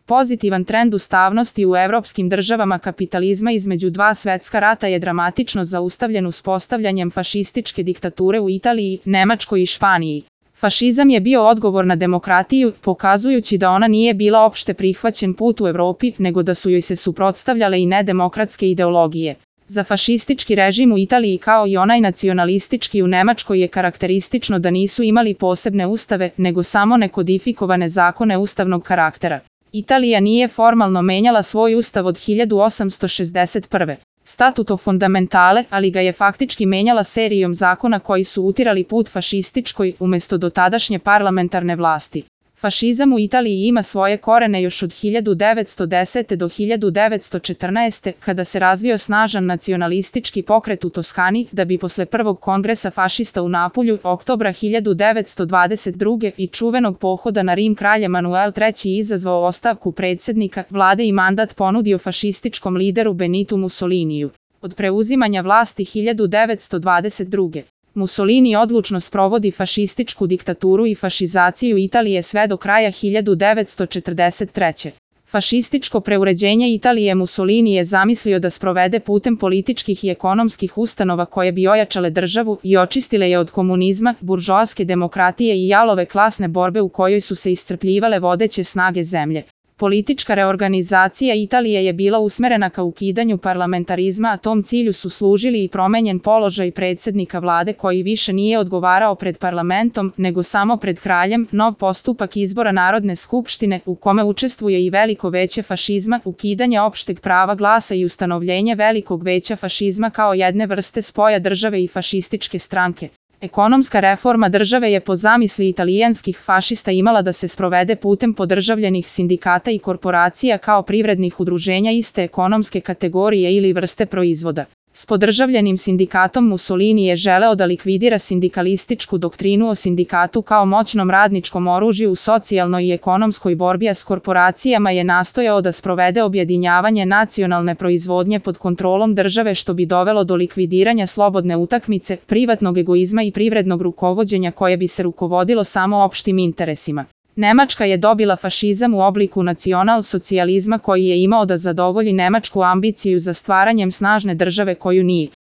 Pozitivan trend ustavnosti u evropskim državama kapitalizma između dva svetska rata je dramatično zaustavljen uspostavljanjem fašističke diktature u Italiji, Nemačkoj i Španiji. Fašizam je bio odgovor na demokratiju, pokazujući da ona nije bila opšte prihvaćen put u Evropi, nego da su joj se suprotstavljale i nedemokratske ideologije. Za fašistički režim u Italiji kao i onaj nacionalistički u Nemačkoj je karakteristično da nisu imali posebne ustave, nego samo nekodifikovane zakone ustavnog karaktera. Italija nije formalno menjala svoj ustav od 1861. Statuto fondamentale, ali ga je faktički menjala serijom zakona koji su utirali put fašističkoj umesto dotadašnje parlamentarne vlasti. Fašizam u Italiji ima svoje korene još od 1910. do 1914. kada se razvio snažan nacionalistički pokret u Toskani, da bi posle prvog kongresa fašista u Napulju, oktobra 1922. i čuvenog pohoda na Rim kralj Emanuel III izazvao ostavku predsjednika vlade i mandat ponudio fašističkom lideru Benitu Mussoliniju. Od preuzimanja vlasti 1922. Mussolini odlučno sprovodi fašističku diktaturu i fašizaciju Italije sve do kraja 1943. Fašističko preuređenje Italije Mussolini je zamislio da sprovede putem političkih i ekonomskih ustanova koje bi ojačale državu i očistile je od komunizma, buržoaske demokratije i jalove klasne borbe u kojoj su se iscrpljivale vodeće snage zemlje. Politička reorganizacija Italije je bila usmerena ka ukidanju parlamentarizma, a tom cilju su služili i promenjen položaj predsjednika vlade koji više nije odgovarao pred parlamentom, nego samo pred kraljem, nov postupak izbora Narodne skupštine, u kome učestvuje i veliko veće fašizma, ukidanje opšteg prava glasa i ustanovljenje velikog veća fašizma kao jedne vrste spoja države i fašističke stranke. Ekonomska reforma države je po zamisli italijanskih fašista imala da se sprovede putem podržavljenih sindikata i korporacija kao privrednih udruženja iste ekonomske kategorije ili vrste proizvoda. S podržavljenim sindikatom Mussolini je želeo da likvidira sindikalističku doktrinu o sindikatu kao moćnom radničkom oružju u socijalnoj i ekonomskoj borbi, a s korporacijama je nastojao da sprovede objedinjavanje nacionalne proizvodnje pod kontrolom države što bi dovelo do likvidiranja slobodne utakmice, privatnog egoizma i privrednog rukovođenja koje bi se rukovodilo samo opštim interesima. Nemačka je dobila fašizam u obliku nacional-socijalizma koji je imao da zadovolji nemačku ambiciju za stvaranjem snažne države koju nije.